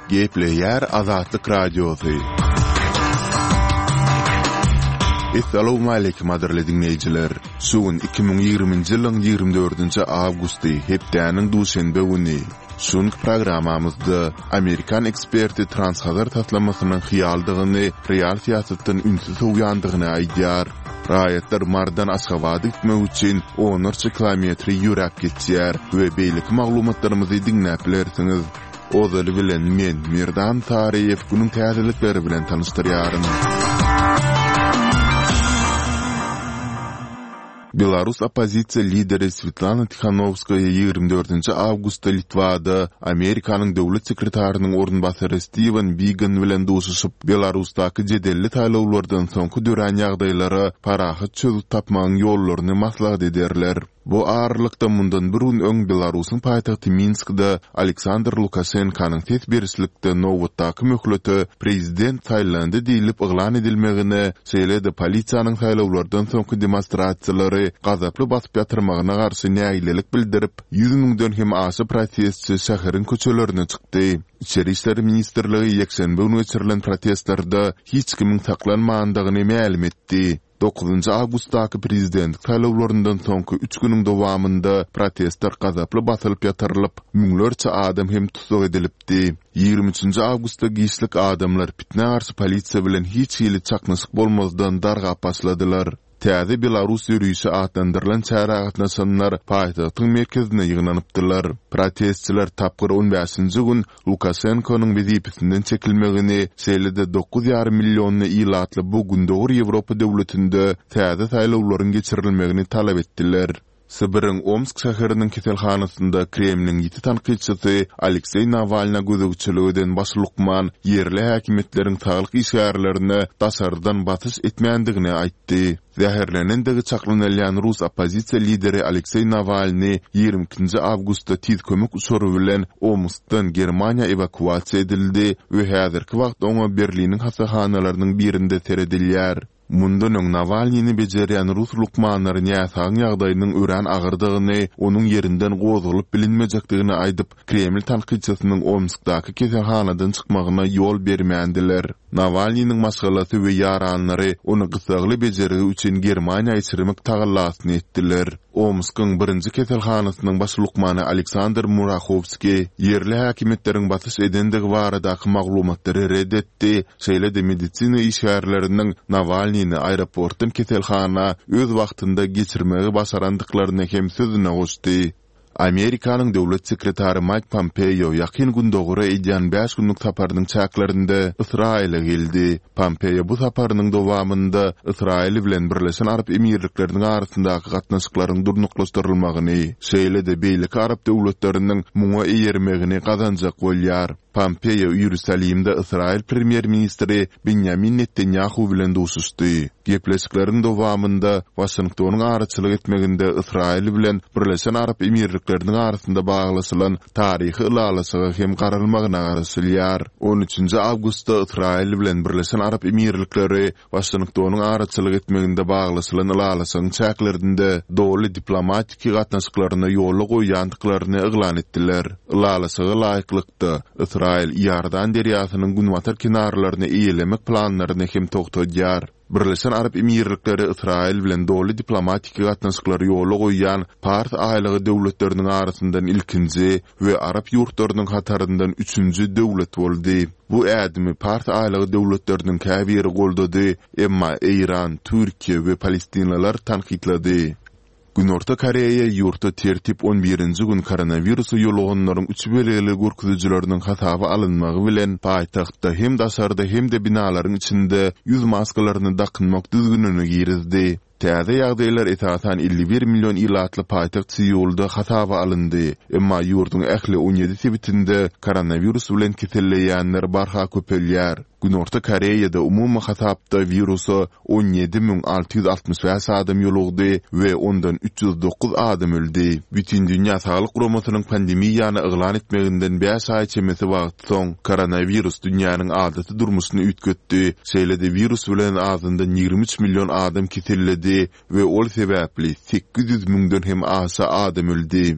Gepleýär Azatlyk Radiosy. Essalawmaleýkim gadyrly diňleýjiler! Şu gün 2020-nji ýylyň 24-nji awgusty, hepdäniň duşenbe güni. Şu günki programmamyzda amerikan eksperti Transhazar taslamasynyň hyýaldygyny, real syýasatdan ünsi sowýandygyny aýdýar. Raýatlar Marydan Aşgabada gitmek üçin onlarça kilometri ýöräp geçýär we beýleki maglumatlarymyzy diňläp bilersiňiz. Ozaly bilen men, Merdan Saryýew günüň täzelikleri bilen tanyşdyrýaryn. Belarus oppozisiýa lideri Swetlana Tihanowskaýa 24 awgustda Litwada Amerikanyň döwlet sekretarynyň orunbasary Stiwen Bigan bilen duşuşyp, Belarusdaky jedelli saýlawlardan soňky dörän ýagdaýlara parahat çözgüt tapmagyň ýollaryny maslahat ederler. Bu aralykda, mundan bir gün öň Belarusyň paýtagty Minskde Aleksandr Lukaşenkanyň ses berişlikde nobatdaky möhlete prezident saýlandy diýlip yglan edilmegine, şeýle-de polisiýanyň saýlawlardan soňky demonstrasiýalary gazaply basyp ýatyrmagyna garşy nägilelik bildirip, ýüz müňden hem aşa protestçi şäheriň köçelerine çykdy. Içeri işler ministrligi ýekşenbe güni geçirilen protestlerde hiç kimiň saklanmandygyny mälim etdi. Dokuzynjy awgustdaky prezidentlik saýlawlaryndan soňky üç günüň dowamynda protestler gazaply basylyp ýatyrylyp, müňlerçe adam hem tussag edilipdi. 23 nji awgustda giçlik adamlar pitnä garşy polisiýa bilen hiç hili çaknyşyk bolmazdan dargap başladylar. Täze Belarus ýörişi atlandyrylan çärä gatnaşanlar paýtagtyň merkezine ýygnanypdylar. Protestçiler tapgyr on bäşinji gün Lukaşenkonyň wezipesinden çekilmegini, şeýle-de 9,5 millionly ilatly bu Gündogar Ýewropa döwletinde täze saýlawlaryň geçirilmegini talap etdiler. Sibiriň Omsk şäheriniň keselhanasynda Kremliň ýiti tankytçysy Alekseý Nawalna gözegçilik eden baş lukman ýerli häkimiýetleriň saglyk işgärlerine daşardan basyş etmändigini aýtdy. Zäherlenendigi çaklanylýan rus oppozisiýa lideri Alekseý Nawalnyý 22-nji awgustda tiz kömek uçary bilen Omskdan Germaniýa ewakuasiýa edildi we häzirki wagt oňa Berliniň hassahanalarynyň birinde seredilýär. Mundan öň Nawalnyny bejerýän rus lukmanlary näsagyň ýagdaýynyň örän agyrdygyny, onuň ýerinden gozgalyp bilinmejekdigini aýdyp, Kreml tankytçysynyň Omskdaky keselhanadan çykmagyna ýol bermändiler. Nawalnynyň maşgalasy we ýaranlary ony gyssagly bejergi üçin Germaniýa geçirmek tagallasyny etdiler. Omskyň birinji keselhanasynyň baş lukmany Aleksandr Murahowskiý ýerli häkimiýetleriň basyş edendigi baradaky maglumatlary ret etdi, şeýle-de medisina işgärleriniň Nawalnyny aeroportdan keselhana öz wagtynda geçirmegi başarandyklaryny hem sözüne goşdy. Amerikanyň döwlet sekretary Maýk Pompeo Ýakyn Gündogara edýän bäş günlük saparynyň çäklerinde Ysraýyla geldi. Pompeo bu saparynyň dowamynda Ysraýyl bilen Birleşen Arap Emirlikleriniň arasyndaky gatnaşyklaryň durnuklaşdyrylmagyny, şeýle-de beýleki arap döwletleriniň muňa eýermegini gazanjak bolýar. Pompeo Iýerusalimde Ysraýyl premýer-ministri Binýamin Netanýahu bilen duşuşdy. Gepleşikleriň dowamynda Waşingtonyň araçylyk etmeginde Ysraýyl bilen Birleşen Arap Emirlikleriniň arasynda baglaşylan taryhy ylalaşyga hem garalmagyna garaşylýar. On üçünji awgustda Ysraýyl bilen Birleşen Arap Emirlikleri Waşingtonyň araçylyk etmeginde baglaşylan ylalaşygyň çäklerinde doly diplomatiki gatnaşyklaryny ýola goýýandyklaryny yglan etdiler. Ylalaşyga laýyklykda, Ysraýyl Iordan derýasynyň günbatar kenarlaryny eýelemek planlaryny hem togtadýar. Birleşen Arap Emirlikleri Ysraýyl bilen doly diplomatiki gatnaşyklary ýola goýýan Pars aýlagy döwletleriniň arasyndan ilkinji we arap ýurtlarynyň hataryndan üçünji döwlet boldy. Bu ädimi Pars aýlagy döwletleriniň käbiri goldady, emma Eýran, Türkiýe we palestinliler tankytlady. Günorta Koreýa ýurtda tertip on birinji gün koronawirusa ýoluganlaryň üç belgili görkezijileriniň hasaba alynmagy bilen paýtagtda hem daşarda hem-de binalaryň içinde ýüz maskalaryny dakynmak düzgünini girizdi. Täze ýagdaýlar esasan 51 million ilatly paýtagt Seulda hasaba alyndy. Emma ýurduň ähli 17 sebitinde koronawirus bilen keselleýänler barha köpelýär. Günorta Koreýada umumy hasapda wirusa 17 665 adam ýolugdy we ondan 309 adam öldi. Bütindünýä Saglyk Guramasynyň pandemiýany yglan etmeginden bäş aý çemesi wagt soň, koronawirus dünýäniň adaty durmuşyny üýtgetdi, şeýle-de wirus bilen azyndan 23 million adam keselledi we ol sebäpli 800 müňden hem aşa adam öldi.